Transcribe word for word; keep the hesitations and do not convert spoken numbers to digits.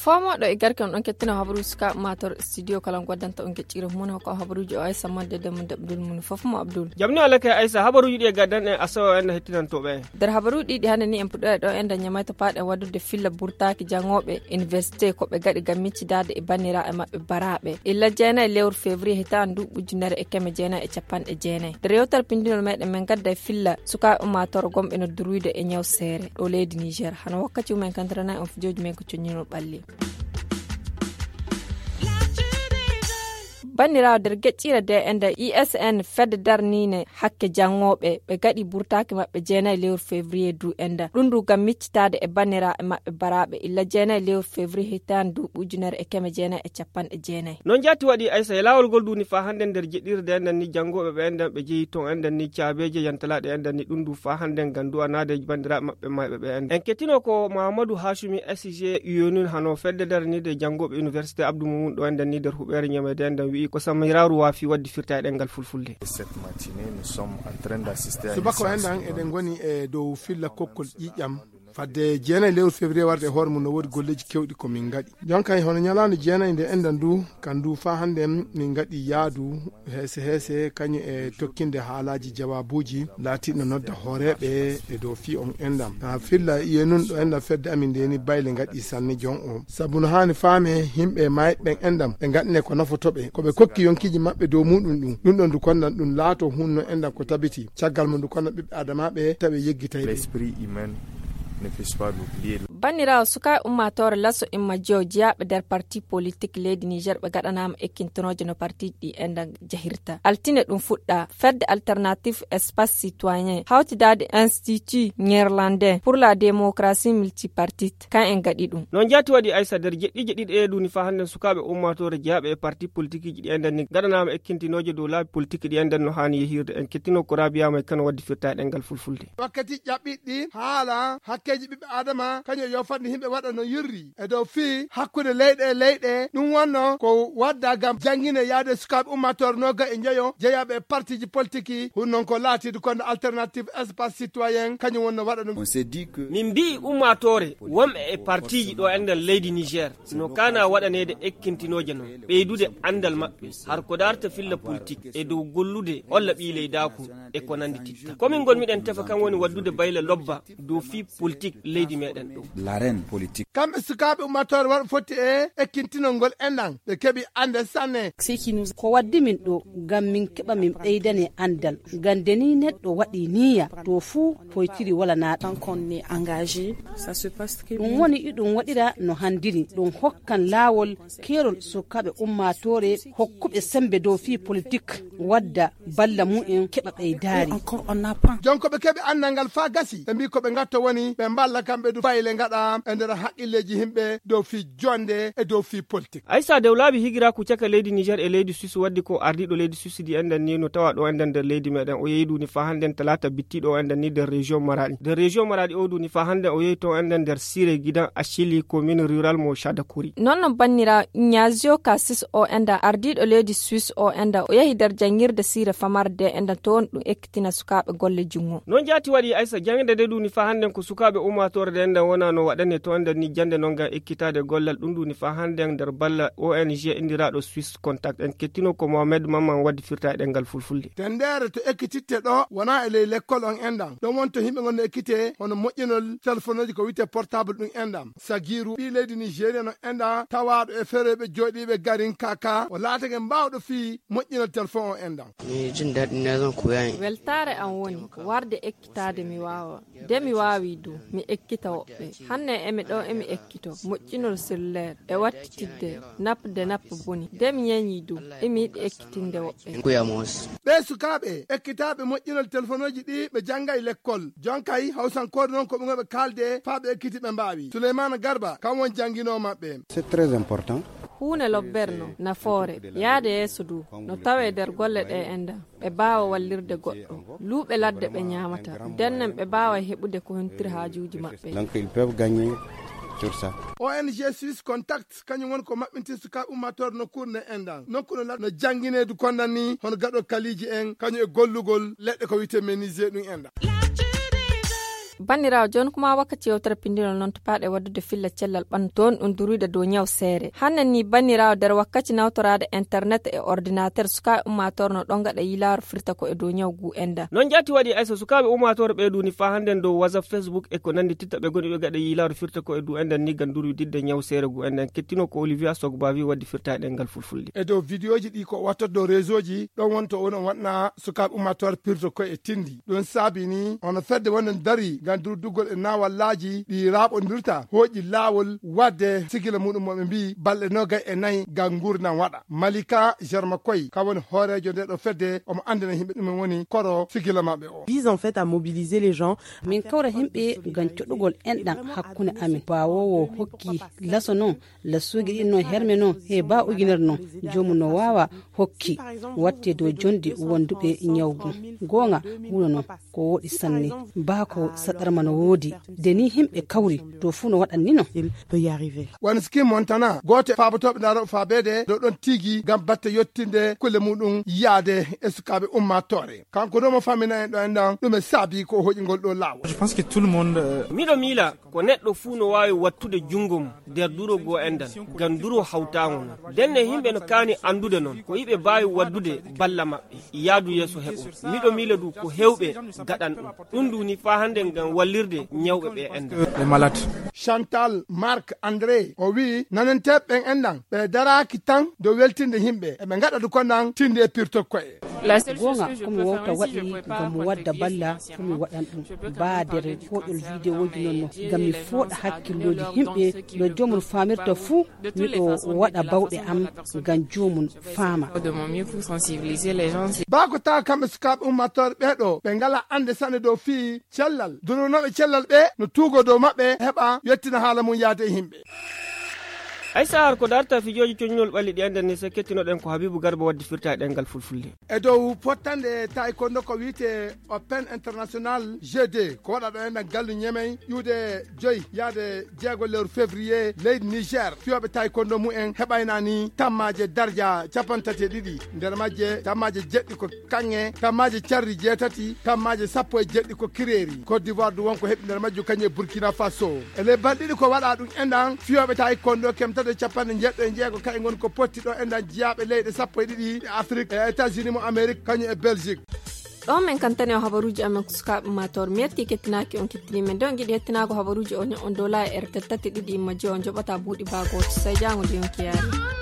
Komoɗo e garke on ɗon kettino habaruuji sukaaɓe mator studio kala goddanta on geccire mum hokko habaruuji o aysa modde de mum daɓdul mum fof mo abdul. Jamni alake aysa habaruuji ɗi e gaddan en asawa en hettinantooɓe en. Nder habaruuji ɗiɗi hannde ni en puɗɗoya ɗo en daña mayta paaɗen waɗude filla burtaaki jangooɓe université ko ɓe gaɗi ngam miccidaade e banniraaɓe maɓɓe baraaɓe illa jeenayi lewru février hitaande ndu ujunere e keme jeenayi e capanɗe jeenayi. Nder yewtere pindinol meɗen men gadda e filla sukaaɓe ummaatoore gomɓe no durwide e ñaw seere ɗo leydi niger hano wakkati mumen kantiranayi on fijooji men ko coññinol ɓalli. Banndiraawo nder geƴƴiire de e nder isn fedde darniine hakke janngooɓe ɓe gaɗi burtaaki maɓɓe jeenayi lewru février du e nder ɗum ndu ngam miccitaade e banndiraaɓe maɓɓe baraaɓe illa jeenayi lewru février hitaande duuɓi ujunere e keme jeenayi e capanɗe jeenayi. Noon jaati waɗi aysa e laawol ngol duuni faa hannde nder jeɗɗirde enɗan ni janngooɓe ɓe enɗan ɓe jeyi toon enɗan ni caabeeje yantalaaɗe enɗan ni ɗum ndu faa hannde ngam du'anaade banndiraaɓe maɓɓe mayɓe ɓe enɗan en kettino ko mahamadou hasumi sg yonun hano fedde daraniide janngooɓe université abdou mumum ɗo enɗan ni nder huɓeere ñameede enɗan wi'i ko samiraaru waafi waɗde firta e ɗemngal fulfulde. Subaka o enɗan eɗen ngoni e dow filla kokkol ƴiƴam fadde jeenayi lewru février warde e hoore mum no woodi golleeji kewɗi ko min ngaɗi. Jonkay hono ñalaande jeenayi nde enɗan ndu kan ndu faa hannde min ngaɗi yaadu heese heese kañum e tokkinde haalaaji jawaabuuji laatiiɗo nodda hooreeɓe e dow fii on enɗan haa filla iye nun ɗo enɗan fedde amin ndeni bayle ngaɗi sanne jon o sabu no haani faame yimɓe maayɓe ɓen enɗan ɓe ngaɗne ko nafotoɓe ko ɓe kokki yonkiiji maɓɓe dow muɗum ɗum ɗum ɗon ndu kondan ɗum laato hunno enɗan ko tabiti caggal mum ndu kondan ɓiɓɓe adamaaɓe tawi yeggitay ɓe. Banniraawo sukaaɓe ummaatoore laso imma jeyo jeyaaɓe nder parti politik leydi niger ɓe gaɗanaama ekkintonooje no partiiji ɗi enɗan jahirta altine ɗum fuɗɗa fedde alternatif espace citoyen hawtidaade institut néerlandais pour la démocratie multipartite kan en gaɗi ɗum. Noon jaati waɗi aysa nder jeɗɗiije ɗiɗi ɗe duuni faa hannden sukaaɓe ummaatoore jeyaaɓe e parti politikiiji ɗi enɗan ni gaɗanaama ekkintinooje dow laabi politiki ɗi enɗan no haani yehirde en kettino ko rabiyaama e kano waɗde firta e ɗemngal fulfulde. Wakkati ƴaɓɓiɗɗi haala hakkeeji ɓiɓɓe adama kañum yo fotde yimɓe waɗa no yurri e dow fii hakkunde leyɗe e leyɗe ɗum wonno ko wadda ngam janngine yaade sukaaɓe ummaatoore nooga e njeyo jeyaaɓe e partiiji politiki hun noon ko laatiidu konde alternative espace citoyen kañum wonno waɗa ɗum. Min mbi'i ummaatoore wonɓe e partiiji ɗo enɗan leydi niger no kaana waɗaneede ekkintinooje noon ɓeydude anndal maɓɓe har ko daarta filla politik e dow gollude olla ɓiy leydaaku e ko nanndi titta komin ngol miɗen tefa kan woni waɗdude bayle lobba dow fii politik leydi meɗen ɗo. Kamɓe sukaaɓe ummaatoore waɗa fotti e ekkintinol ngol enɗan ɓe keɓi annde sanne. Ko waddi min ɗo ngam min keɓa min ɓeydane anndal ngam de ni neɗɗo waɗi niya to fuu poytiri walanaaɗo. Ɗum woni iɗum waɗira no hanndiri ɗum hokkan laawol keerol sukaaɓe ummaatoore hokkuɓe semmbe dow fii politik wadda balla mumen keɓa ɓeydaari. Jonko ɓe keɓi anndal ngal faa gasi ɓe mbii ko ɓe ngatto woni ɓe mballa kamɓe du fayle ngaɗa e nder haqqilleeji yimɓe dow fii jonnde e dow fii politik. Aysa dewlaabi higiraaku caka leydi niger e leydi suisse waddi ko ardiiɗo leydi suisse di enɗan ni no tawa ɗo enɗan nder leydi meɗen o yehi duuni faa hannden talaata bittiiɗo o enɗan ni nder région maraɗi nder région maraɗi o duuni faa hannden o yehi to enɗan nder sire gidan achili commune rural mo chadakuri. Noon no bannira ñazio kasis o enɗan ardiiɗo leydi suisse o enɗan o yehi nder janngirde sire famarde enɗan toon ɗum ekkitina sukaaɓe golle junngo. Noon jaati waɗi aysa jangde nde duuni faa hannden ko sukaaɓe ummaatoore nde enɗan wona no waɗane to enɗan ni jannde noon ngam ekkitaade gollal ɗum duuni faa hannden nder balla ong indiraaɗo suisse contact en kettino ko mohamed mamman waddi firta e ɗemngal fulfulde. Tenndeere to ekkititte ɗo wonaa e ley lekkol on enɗan ɗon wonto yimɓe ngon no ekkite hono moƴƴinol telefonuuji ko wiyetee portable ɗum enɗan sagiiru ɓii leydi nigéria no enɗan tawaaɗo e ferooɓe jooɗiiɓe garin kaka o laatake mbaawɗo fii moƴƴinol telefon on enɗan. Weltaare am woni warde ekkitaade mi waawa de mi waawi du mi ekkita woɓɓe hanne emi ɗo emi ekkito moƴƴinol selluleer e wattitidde napde nappa boni de mi ñeñi du emi yiɗi ekkitinde woɓɓe. Ɓee sukaaɓe ekkitaaɓe moƴƴinol telefonuuji ɗi ɓe janngay lekkol jonkay hawsankoore noon ko ɓe ngoɓe kaalde faa ɓe ekkiti ɓe mbaawi suleymaana garba kam won jannginoo maɓɓe. Huunde lobberno nafoore yaade yeeso du no tawee nder golle ɗe enɗan ɓe mbaawa wallirde goɗɗo luuɓe ladde ɓe ñaamata ndennen ɓe mbaawa heɓude ko hontiri haajuuji maɓɓe. Ong suisse contact kañum woni ko maɓɓinti sukaaɓe ummaatoore nokkuure nde enɗan nokku no ladde no janngineedu kondan ni hono gaɗo kaliiji en kañum e gollugol leɗɗe ko wiyetee menisé ɗum enɗan. Banndiraawo, jooni kuma wakkati yewtere pinndinol noon to paaɗe waɗdude filla cellal ɓanndu toon ɗum duruyde dow ñaw seere. Hannde ni banndiraawo, nder wakkati nawtoraade internet e ordinateur, sukaaɓe ummaatoor no ɗon gaɗa yilaaro firta ko e dow ñaw ngu enɗan. Noon jaati waɗi, Aysa, sukaaɓe ummaatoor ɓee duuni faa hannden dow WhatsApp, Facebook e ko nanndi titta ɓe ngoni ɓe gaɗa yilaaro firta ko e dow enɗan ni ngam duruyde ñaw seere ngu enɗan. Kettino ko Olivia Sogbavi waddi firta e ɗemngal fulfulde. E dow vidéoji ɗi ko watta dow réseauji, ɗon wonto onon waɗna sukaaɓe ummaatoor pirto koye e tindi. Ɗum saabi ni ono fedde wonde dari ngam durdugol e naawallaaji ɗi raaɓondirta, hooƴi laawol waɗde sigila muɗum mo ɓe mbii balɗe noogay e nayi ngam nguurndam waɗa. Malika Jarma Koy, ka woni hooreejo nde ɗo fedde, omo anndina yimɓe ɗumen woni koro sigila maɓɓe o. Vise en fait à mobiliser les gens. Min kawra yimɓe ngam coɗugol enɗan hakkunde amin. Baawoowo hokki laso noon, lasooji ɗin noon, herme noon, he baa ujunere noon, joomum no waawa hokki watte dow jonde wonduɓe ñaw ngun. Goonga, wuro noon ko woɗi sanne. Baa ko saɗarma no woodi. De ni yimɓe kawri, to fuu no waɗan ni noon. Il peut y arriver. Wano Skin Montana, gooto e faabotooɓe ndaarooɓe faabeede dow ɗon tigi ngam batte yottinde kulle muɗum yaade e sukaaɓe ummaatoore. Kanko ɗo mo famina en ɗo en ɗan, ɗum e saabi ko o hoƴingol ɗo laawol. Je pense que tout le monde, euh, Miɗo miila ko neɗɗo fuu no waawi wattude junngo mum nder duro goo enɗan, ngam duro hawtaango non. Ndenne yimɓe no kaani anndude non ko iɓe mbaawi waddude balla maɓɓe yaadu yeeso heɓo. Miɗo miila du ko heewɓe gaɗan ɗum. Ɗum du ni faa hannde ngam wallirde ñawɓe ɓe enɗan. Les malades. Chantal Marc André, o wi'i nananteeɓe ɓen enɗan, ɓe daraaki tan dow weltinde yimɓe, eɓe ngaɗa du ko nan tinde e pirtol ko'e. Goonga, ko mi wawta waɗi ngam mi wadda balla, ko mi waɗan ɗum. Baa nder koɗol videoji non no, ngam mi fooɗa hakkillooji yimɓe, no joomum faamirta fuu, miɗo waɗa bawɗe am ngam joomum faama. De mon mieux pour sensibiliser les gens. Baa ko tawa kamɓe sukaaɓe ummaatooɓe ɓee ɗoo, ɓe ngalaa annde sanne dow fii cellal, duronooɓe cellal ɓee no tuugoo dow maɓɓe, heɓa yettina haala mum yaade e yimɓe. Ay sahar ko darta fijooji coñnol ɓalli ɗi enɗan ni, so kettinoɗen ko Habibu Garba waddi firta e ɗemngal fulfulde. E dow fottande taekwondo ko wiyetee Open International G deux, ko waɗa ɗo enɗan gallu Ñemey, ƴuude joyi yaade jeego lewru février, leydi Niger. Fiyooɓe taekwondo mumen heɓayna ni tammaaje darja capanɗe tati e ɗiɗi, nder majje tammaaje jeɗɗi ko kaŋŋe, tammaaje cardi jeetati, tammaaje sappo e jeɗɗi ko kireeri. Côte d'Ivoire du wonko heɓi nder majju kañum e Burkina Faso. E ley balɗe ɗiɗi ko waɗa ɗum enɗan, fiyooɓe taekwondo kemtata e capanɗe njeeɗiɗo e jeego kañum ngoni ko potti ɗo enɗan jiyaaɓe leyɗe sappo e ɗiɗi e Afrique, e États-Unis mo Amérique, kañum e Belgique. Ɗo men kantani o habaruuji amen ko sukaaɓe ummaatoore. Mi yetti kettinaaki on kettini men. Nde on ngiɗi hettinaago habaruuji o ño'on dow laayi R T L tati ɗiɗi imma joyi on joɓata buuɗi baa gooto. Sey jaango nde yonki yaari.